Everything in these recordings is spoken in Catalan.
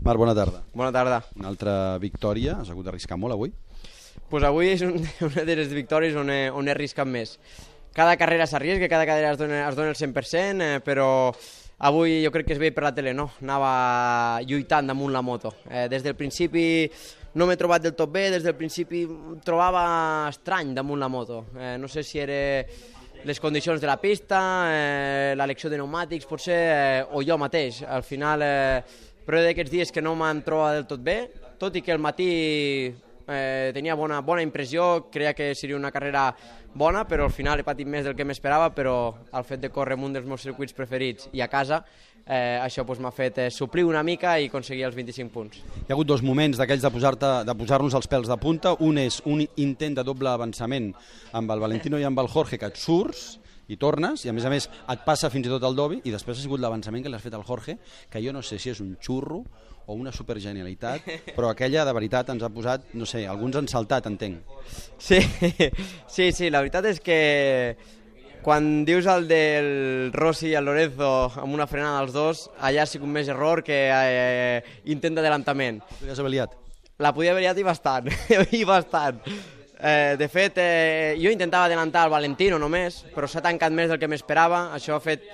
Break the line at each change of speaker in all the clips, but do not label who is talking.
Marc, bona tarda.
Bona tarda.
Una altra victòria, has hagut d'arriscar molt avui?
Pues avui és una de les victòries on he arriscat més. Cada carrera s'arrisca, cada carrera es dona el 100%, però avui jo crec que es veia per la tele, no? Anava lluitant damunt la moto. Des del principi no m'he trobat del tot bé, des del principi em trobava estrany damunt la moto. No sé si era les condicions de la pista, l'elecció de pneumàtics potser, o jo mateix. Al final, però d'aquests dies que no m'han trobat del tot bé, tot i que el matí tenia bona impressió, creia que seria una carrera bona, però al final he patit més del que m'esperava, però el fet de córrer en un dels meus circuits preferits i a casa, això m'ha fet suplir una mica i aconseguir els 25 punts.
Hi ha hagut dos moments d'aquells de posar-nos els pèls de punta. Un és un intent de doble avançament amb el Valentino i amb el Jorge, que et surts i tornes, i a més et passa fins i tot el Dovi, i després ha sigut l'avançament que l'has fet al Jorge, que jo no sé si és un xurro o una supergenialitat, però aquella de veritat ens ha posat, no sé, alguns han saltat, entenc.
Sí, la veritat és que quan dius el del Rossi i el Lorenzo amb una frenada als dos, allà ha sigut més error que intent d'adelantament.
Podries haver liat?
La podia haver liat i bastant, i bastant. De fet, jo intentava adelantar el Valentino només, però s'ha tancat més del que m'esperava. Això ha fet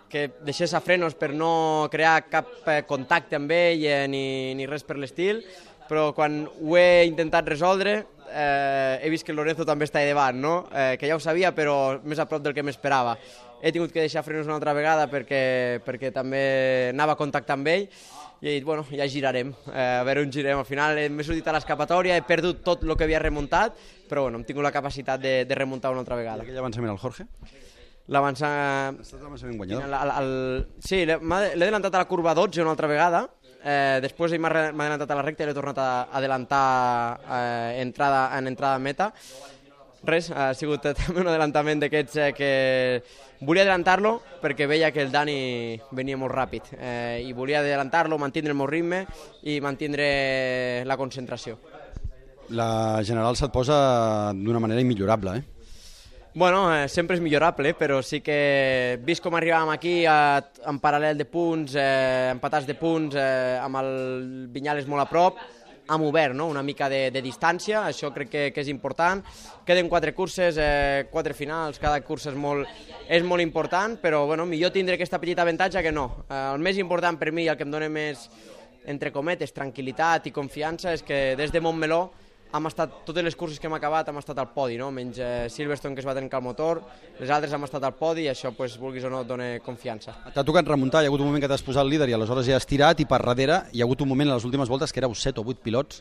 que deixés a frenos per no crear cap contacte amb ell ni res per l'estil, però quan ho he intentat resoldre he vist que el Lorenzo també està davant, no? Que ja ho sabia, però més a prop del que m'esperava. He tingut que deixar frenos una altra vegada perquè també anava a contactar amb ell, i he dit, bueno, ja girarem, a veure on girem. Al final m'he sortit a l'escapatòria, he perdut tot el que havia remuntat, però bueno, hem tingut la capacitat de remuntar una altra vegada.
I aquell avançament al Jorge?
L'avançament...
Ha estat l'avançament guanyador?
Sí, l'he adelantat a la curva 12 una altra vegada, després ell m'ha adelantat a la recta i l'he tornat a adelantar en entrada a meta. Res, ha sigut també un adelantament d'aquests que volia adelantar-lo perquè veia que el Dani venia molt ràpid i volia adelantar-lo, mantenir el meu ritme i mantenir la concentració.
La general se't posa d'una manera immillorable,
Bueno, sempre és millorable, però sí que vist com arribàvem aquí en paral·lel de punts, empatats de punts, amb el Viñales molt a prop, hem obert, no? Una mica de distància, això crec que és important. Queden 4 curses, 4 finals, cada cursa és molt important, però bueno, millor tindre aquesta petita avantatge que no. El més important per mi, el que em dona més, entre cometes, tranquil·litat i confiança, és que des de Montmeló totes les curses que hem acabat hem estat al podi, no? Menys Silverstone, que es va trencar el motor, les altres hem estat al podi i això, vulguis o no, et dona confiança.
T'ha tocat remuntar, hi ha hagut un moment que t'has posat el líder i aleshores ja has tirat, i per darrere hi ha hagut un moment a les últimes voltes que éreu 7 o 8 pilots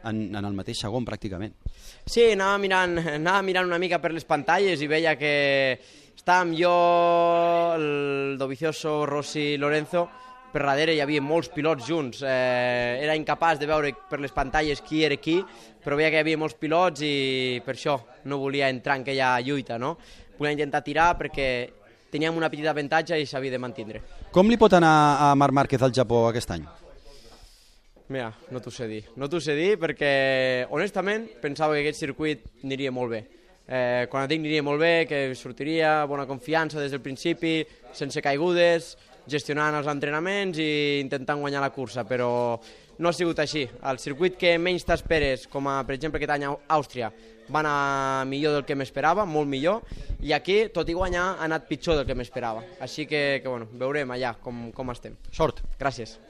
en el mateix segon, pràcticament.
Sí, anava mirant una mica per les pantalles i veia que estàvem jo, el Dovizioso, Rossi, Lorenzo. Per darrere hi havia molts pilots junts, era incapaç de veure per les pantalles qui era qui, però veia que hi havia molts pilots i per això no volia entrar en aquella lluita, no? Volia intentar tirar perquè teníem una petita avantatge i s'havia de mantenir.
Com li pot anar a Marc Márquez al Japó aquest any?
Mira, no t'ho sé dir perquè honestament pensava que aquest circuit aniria molt bé. Quan et dic aniria molt bé, que sortiria, bona confiança des del principi, sense caigudes, gestionant els entrenaments i intentant guanyar la cursa, però no ha sigut així. El circuit que menys t'esperes, com per exemple aquest any a Àustria, va anar millor del que m'esperava, molt millor, i aquí, tot i guanyar, ha anat pitjor del que m'esperava. Així que bueno, veurem allà com estem.
Sort.
Gràcies.